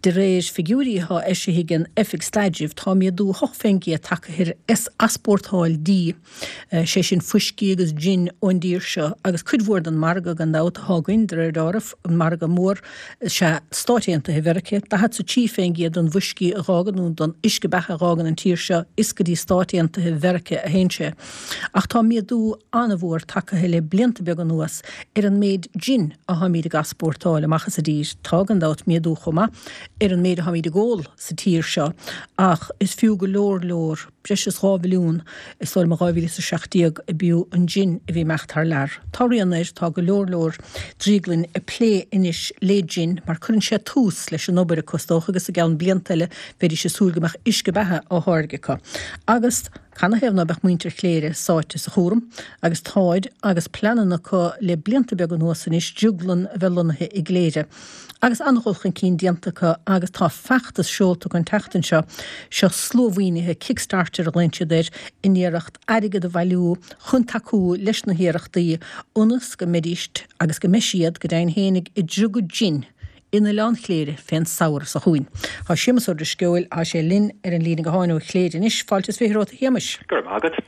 De réir figiúirí atá eisithe ag an Oifig Staidrimh, tá méadú 8% tagtha ar easpórtáil dí, sé sin fuiscí agus jin ón dtír seo, agus cuid mhór den margadh, gan dabht, atá againn, de réir dealraimh, an margadh mór is ea Stáit Aontaithe Mheiriceá. 43% den bhfuiscí a dh'fhágann, nó den uisce beatha a dh'fhágann an tír seo, is go dtí Stáit Aontaithe Mheiriceá a théann sé. Ach tá méadú an-mhór tagtha le blianta beaga anuas ar an méid jin atháimíd ag easpórtáil amach as an dtír. Tá, gan dabht, méadú chomh maith ar an méid atháimíd ag ól sa tír seo, ach is fiú go leor leor, breis is 2 bhilliún, is dóigh liom, in 2017 a b'fhiú an jin a bhí ag imeacht thar lear. Tá rian air, tá go leor leor drioglainn ag plé anois le jin mar cuireann sé tús leis an obair acu is dócha agus i gceann blianta eile bheidís ag súil go mbeadh uisce beatha á tháirgeadh acu. Agus canathaobh ná beadh muintir Chléire sáite sa chúram agus táid agus pleananna acu le blianta beaga anuas anois drioglann a bheith lonnaithe i gCléire. Agus an-dhul chun cinn déanta acu agus tá feachtas seolta acu an tseachtain seo, seo sluamhaoinithe, Kickstarter a ghlaonn siad air, in iarracht airgead a bhailiú chun tacú leis na hiarrachtaí ionas go mbeidís, agus go mbeidh siad, go deimhin fhéinig, ag driogadh jin in Oileán Chléire fén samhradh seo chugainn. Tá Séamus Ó Drisceoil, tá sé linn ar an líne gutháin ó Chléire anois. Fáilte is 20 romhat a Shéamais. Go raibh maith agat.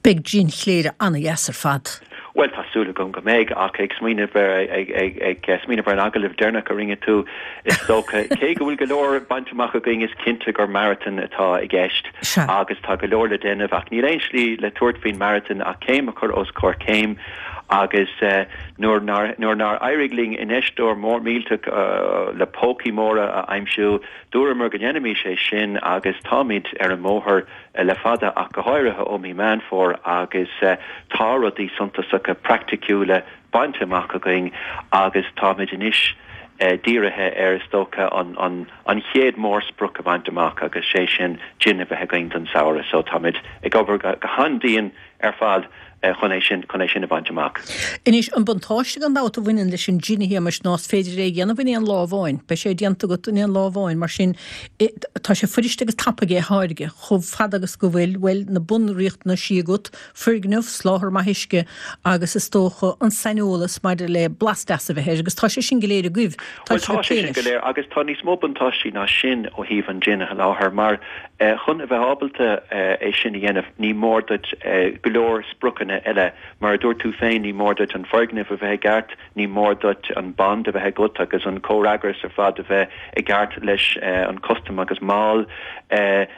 Beidh jin Chléire ana-dheas ar fad. Bhuel, tá súil agam go mbeidh, ach ag smaoineamh ar, ag smaoineamh ar an agallamh deireanach a rinne tú, is dócha, cé go bhfuil go leor bainte amach againn, is cinnte gur maratón atá i gceist agus tá go leor le déanamh, ach níl aon slí le tabhairt faoin maratón ach céim a chur os comhair céim agus nuair nár, nuair nár éirigh linn infheisteoir mór millteach le pócaí móra a aimsiú, dúramar go ndéanfaimis é sin agus táimid ar an mbóthar. le fada ach go háirithe ó mí Meán Fómhair agus tá rudaí suntasacha praiticiúla bainte amach againn agus táimid anois dírithe ar, is dócha, an chéad mhórsprioc a bhaint amach agus sé sin jin a bheith againn don samhradh. So táimid ag obair go han-dian ar fad chun é sin, chun é sin a bhaint amach. Anois, an buntáiste gan dabht a bhaineann leis an jin, a Shéamais, ná is féidir é a dhéanamh in aon lá amháin. Beidh sé déanta agat in aon lá amháin, mar sin tá sé fuirist agus tapaidh é a tháirgeadh, chomh fada agus go bhfuil, bhuel, na bunriachtanaisí agat, foirgneamh, soláthar maith uisce agus is dócha an saineolas maidir le blas deas a bheith air, agus tá sé sin go léir agaibh. Tá Bhuel, tá sé sin go léir agus tá níos mó buntáistí ná sin ó thaobh an jin a sholáthar, mar Chun a bheith ábalta é sin a dhéanamh, ní mór duit go leor spriocanna eile. Mar a dúirt tú féin, ní mór duit an foirgneamh a bheith i gceart, ní mór duit an bond a bheith agat agus an comhfhreagras ar fad a bheith i gceart leis an custam agus mall,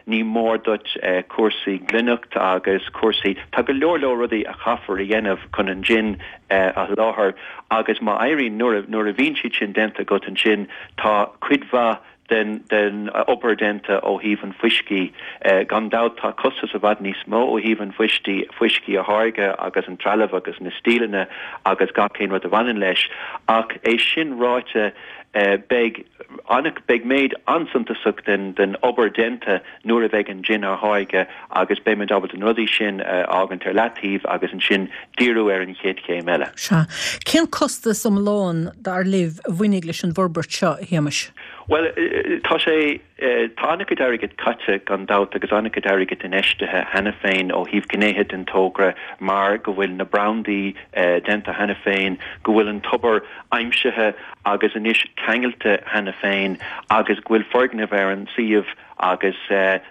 ní mór duit cúrsaí glaineacht agus cúrsaí, tá go leor leor rudaí a chaithfear a dhéanamh chun an jin a sholáthar agus má éiríonn, nuair a bhíonn siad sin déanta agat ansin, tá cuid mhaith den obair déanta ó thaobh an fuiscí. Gan dabht tá costas i bhfad níos mó ó thaobh an fuiscí, fuiscí a tháirgeadh agus an trealamh agus na stíleanna agus gach aon rud a bhaineann leis. Ach é sin ráite beidh beidh méid an-suntasach den den obair déanta nuair a bheidh an jin á tháirgeadh agus beimid ábalta na rudaí sin a fhágaint ar leataobh agus ansin díriú ar an chéad chéim eile. Sea. Cén costas iomlán, dar libh, a bhainfidh leis an bhforbairt seo, a Shéamais? Bhuel, tá sé, tá an-chuid airgid caite gan dabht agus an-chuid airgid infheistithe cheana féin ó thaobh gnéithe den togra mar go bhfuil na brandaí déanta cheana féin, go bhfuil an tobar aimsithe agus anois ceangailte cheana féin agus go bhfuil foirgneamh ar an suíomh agus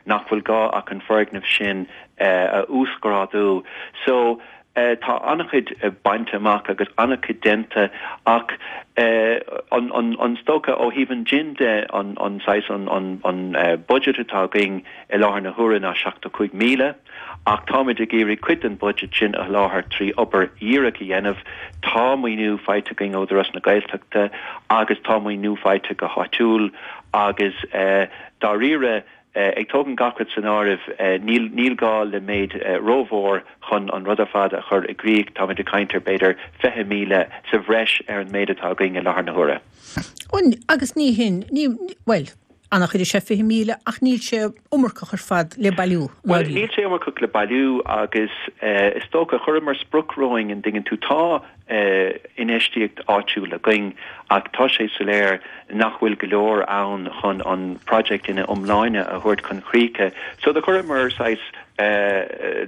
nach bhfuil gá ach an foirgneamh sin a uasghrádú. So, tá an-chuid bainte amach agus an-chuid déanta ach an, is dócha ó thaobh an jin de, an saghas, an budget atá againn i láthair na huaire ná 75,000 ach táimid ag iarraidh cuid den budget sin a sholáthar trí obair dhíreach a dhéanamh. Tá maoiniú faighte againn ó Údarás na Gaeltachta agus tá maoiniú faighte go háitiúil agus dáiríre, Ag tógaint gach rud san áireamh, níl níl gá le méid rómhór chun an rud ar fad a chur i gcrích. Táimid ag caint ar b'fhéidir 20,000 sa bhreis ar an méid atá againn i láthair na huaire. Agus ní hin, ní, bhuel, an-chuid is ea 20,000 ach níl sé iomarcach ar fad le bailiú, i Bhuel, níl sé iomarcach le bailiú agus is dócha, chuireamar sprioc romhainn, an dtuigeann tú, tá infheistíocht áitiúil againn ach tá sé soiléir nach bhfuil go leor ann chun an project ina iomláine a thabhairt chun críche. So do chuireamar saghas.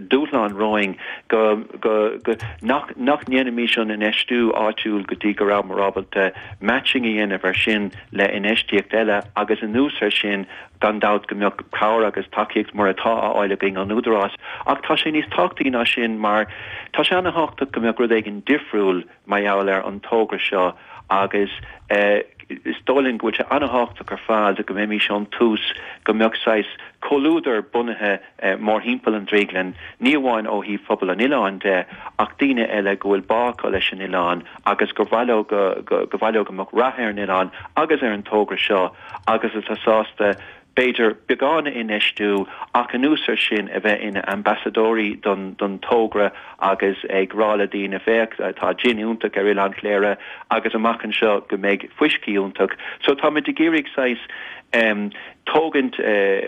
dúshlán romhainn go, go, go, nach, nach ndéanfaimis an infheistiú áitiúil go dtí go rabhamar ábalta matching a dhéanamh ar sin le infheistíocht eile agus anuas ar sin gan dabht go mbeadh cabhair agus tacaíocht mar atá á fháil againn ón Údarás ach tá sé níos tábhachtaí ná sin mar tá sé ana-thábhachtach go mbeadh rud éigin difriúil mar gheall ar an togra seo agus is dóigh linn go bhfuil sé an-thábhachtach ar fad go mbeimis ón tús, go mbeadh saghas comhluadar bunaithe mórthimpeall an drioglann, ní amháin ó thaobh phobal an oileáin de ach daoine eile go bhfuil bá acu leis an oileán agus gur mhaith leo go go mhaith leo go mbeadh rath ar an oileán agus ar an togra seo agus atá sásta b'fhéidir, beagán a infheistiú ach anuas ar sin a bheith ina ambasadóirí don don togra agus ag rá le daoine féach tá jin iontach ar Oileán Chléire agus amach anseo go mbeidh fuiscí iontach. So táimid ag iarraidh saghas em tógaint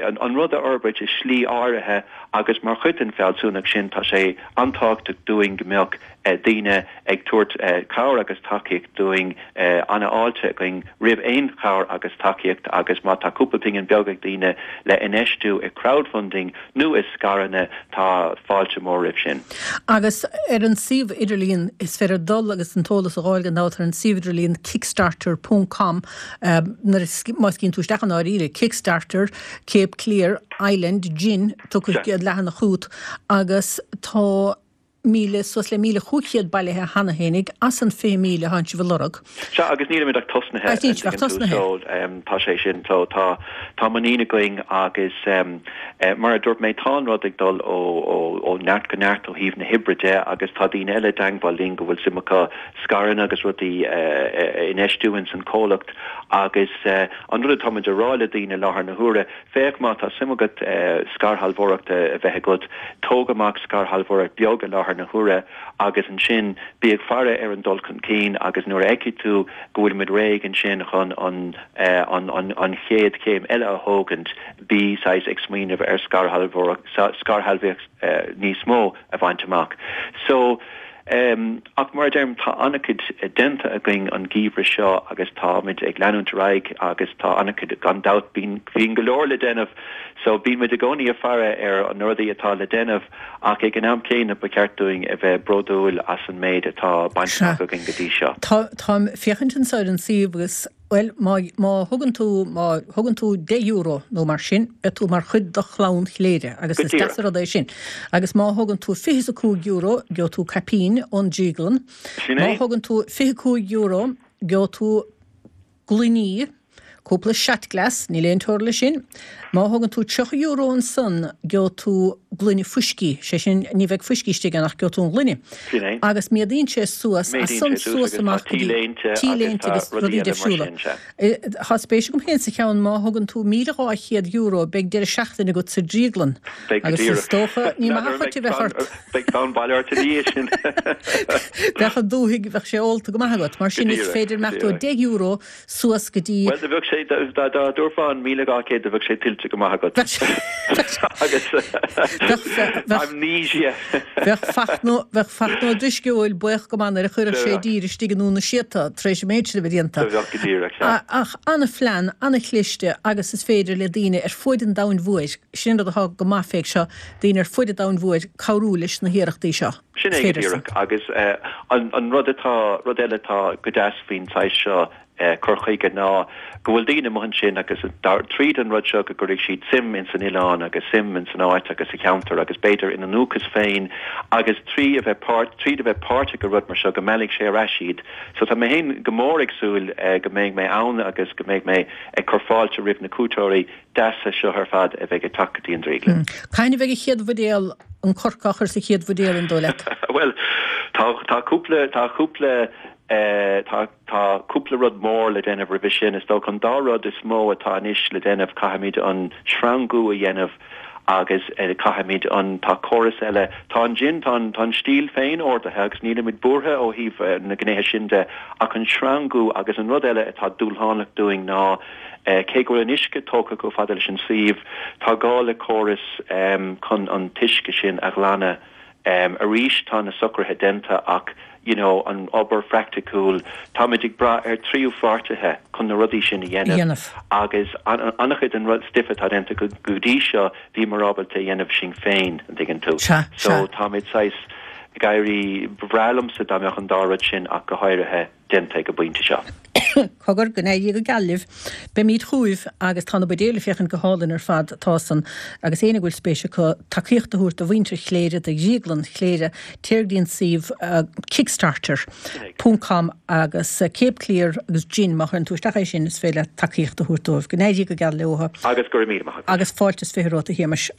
an an rud a fhorbairt i slí áirithe agus mar chuid den fealsúnacht sin tá sé an-tábhachtach dúinn go mbeadh daoine ag tabhairt cabhair agus tacaíocht dúinn, an-fháilte againn roimh aon chabhair agus tacaíocht agus má tá cúpla pingin beag ag daoine le infheistiú i crowdfunding nó i scaireanna tá fáilte mór roimh sin. Agus ar an suíomh idirlíon, is féidir dul agus an t-eolas a dh'fháil gan dabht ar an suíomh idirlíon kickstarter ponc com nuair a, má scríobhann tú isteach i ndáiríre Kickstarter Cape Clear Island Gin tiocfaidh an chéad leathanach chugat agus tá 1,000, suas le 1,500 bailithe cheana fhéinig as an 20,000 atánn sibh a lorg. Sea, agus nílimid ach tosnaithe, Agus níl sibh ach tosnaithe. So, tá sé sin, so tá, tá muinín againn agus mar a dúirt mé, tá an rud ag dul ó, ó, ó neart go neart ó thaobh na hoibre de agus tá daoine eile i dteangmháil linn go bhfuil suim acu scaireanna agus rudaí a infheistiú ins an comhlacht agus an rud atáimid a rá le daoine i láthair na huaire, Féach, má tá suim agat scairshealbhóireacht a bheith agat, tóg amach scairshealbhóireacht beag i láthair na huaire agus ansin bí ag faire ar an dul chun cinn agus nuair a fheicfidh tú go bhfuilimid réidh ansin chun an an chéad chéim eile a thógaint, bí saghas ag smaoineamh ar scairshealbhaíocht níos mó a bhaint amach. So. Ach mar a deirim, tá an-chuid déanta againn an geimhreadh seo agus táimid ag leanúint ar aghaidh agus tá an-chuid, gan dabht, bíonn, bíonn go leor le déanamh so bíonn muid i gcónaí ag faire ar na rudaí atá le déanamh ach ag an am céanna ba cheart dúinn a bheith bródúil as an méid atá bainte amach againn go dtí seo. Tá, táim ag féachaint anseo ar an suíomh agus Bhuel, má, má thugann tú, má thugann tú €10 nó mar sin, beidh tú mar chuid de chlann Chléire, agus Go is deas díreach. an rud é sin. Agus má thugann tú €25, gheobhaidh tú caipín ón drioglann. Sin Má é. thugann tú €25, gheobhaidh tú gloiní, cúpla shot glass, níl aon teora leis sin. Má thugann tú €30 ansan, gheobhaidh tú gloine fuiscí, sé sin, ní bheidh fuiscí istigh ann ach gheobhaidh tú an ghloine. Sin é. Agus méadaíonn sé suas, as Méadaíonn san sé suas suas agus tá amach go dtí t-léinte agus t-léinte tá agus rudaí rudaí eile mar difriúla. sin, sea. Tá spéis agam féin sa cheann, má thugann tú €1,200 beidh deireadh seachtaine agat sa drioglann. Beidh go Agus is díreach. dócha, ní maith N'fheadar an an chuid a mbeidh bheadh fonn, ort. beidh fonn baile ort ina dhiaidh sin. Bheadh an dúthaigh, bheadh sé ólta go maith agat. Mar Go sin is díreach, féidir go imeacht ó díreach. €10 suas go dtí. Bhuel, do bheadh sé, dá dtabharfá an 1,200, do bheadh sé tuillte go maith agat. Agus amnesia. Bheadh Fachtna, bheadh Fachtna Ó Drisceoil buíoch go maith nuair a chuirfeadh sé i dtír istigh i nDún na Síota tar éis an méid sin a bheith déanta. Do bheadh go díreach, sea. Ach an-phlean, an-chliste agus is féidir le daoine ar fuaid an domhain mhóir, sin an rud atá go maith fé seo, daoine ar fuaid an domhain mhóir cabhrú leis na hiarrachtaí seo. Sin é go díreach. Agus an rud atá, rud eile atá go deas faoin saghas seo cur chuige ná go bhfuil daoine amuigh ansin agus tríd an rud seo go gcuirfidh siad suim ins an oileán agus suim ins an áit agus sa cheantar agus b'fhéidir ina ndúchas féin agus trí a bheith páirt, tríd a bheith páirteach i rud mar seo go meallfaidh sé ar ais iad. So tá mé féin go mór ag súil go mbeidh mé ann agus go mbeidh mé ag cur fáilte roimh na cuairteoirí deasa seo ar fad a bheidh ag teacht go dtí an drioglann. Cathain a bheidh an chéad bhuidéal, an corc á chur sa chéad bhuidéal, an dóigh leat? Bhuel, tá, tá cúpla, tá cúpla, tá, tá cúpla rud mór le déanamh roimhe sin. Is dócha an dá rud is mó atá anois le déanamh, caithfimid an sreangú a dhéanamh agus caithfimid an, tá córas eile, tá an jin, tá an, tá an stíl féin ordaithe agus nílimid buartha ó thaobh na gnéithe sin de ach an sreangú agus an rud eile atá dúshlánach dúinn ná Cé go bhfuil an uisce tógtha chomh fada leis an suíomh, tá gá le córas chun an t-uisce sin a ghlanadh. Arís tá na socruithe déanta ach you know an obair phraiticiúil, táimid ag brath ar tríú pháirtithe chun na rudaí sin a dhéanamh agus an-chuid den rud stuif atá déanta go dtí seo bhíomar ábalta a dhéanamh sinn féin, an dtuigeann tú. So táimid saghas ag éirí, ba bhreá liomsa dá mbeadh an dá rud sin ach go háirithe déanta ag an bpointe seo. Cogar, go n-éirí go geal libh. Beimid chugaibh agus tá na buidéil ag féachaint go hálainn ar fad, tá san, agus éinne go bhfuil spéis acu tacaíocht a thabhairt do mhuintir Chléire, do Dhrioglann Chléire, téir go dtí an suíomh Kickstarter. Ponc com agus Cape Clear agus Gin, má chuireann tú isteach é sin is féidir leat tacaíocht a thabhairt dóibh. Go n-éirí go geal leo. Agus go raibh míle maith agat. Agus fáilte is 20 romhat a Shéamais.